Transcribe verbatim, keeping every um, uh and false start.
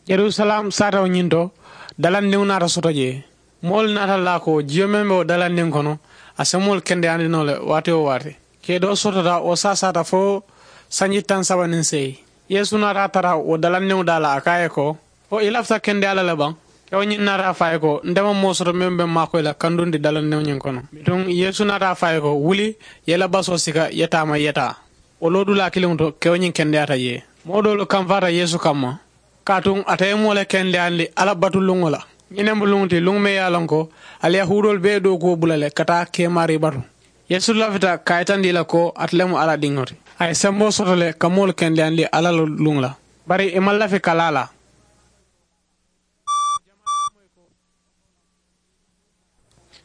Yerusalem saatawo ñiŋ to, dalandiŋo naata soto jee. Moolu naata laa ko jiyo meŋ be wo dalandiŋ kono, a se moolu kendeyaandi noo le waati wo waati. Kee doo sotota wo saasaata fo sanji taŋ saba niŋ seyi. Yeesu naata a tara wo dalandiŋo daa la, a ko a ye ko, ko i lafita kendeyaa la le baŋ? Kewo ñiŋ naata a fo a ye ko, nte maŋ moo soto meŋ be maakoyi la kandundi dalandiŋo ñiŋ kono. Bituŋ yeesu naata a fo a ye ko, wuli, ye i la basoo sika, ye taama ye taa. Wo loodulaa kiliŋo to kewo ñiŋ kendeyaata jee. Moo doolu kamfaata yeesu kamma, kaatuŋ ate ye moo le kendeyandi alla batu luŋo la. Ñiŋ ne mu luŋo ti luŋ meŋ ye a loŋ ko, ali yahuudoolu bee ye dookuwo bula le ka taa keemaari batu. Yeesu lafita ka a yitandi i la ko ate le mu alla diŋo ti. A ye semboo soto le ka moolu kendeyandi alla la luŋo la. Bari i maŋ lafi ka laa la.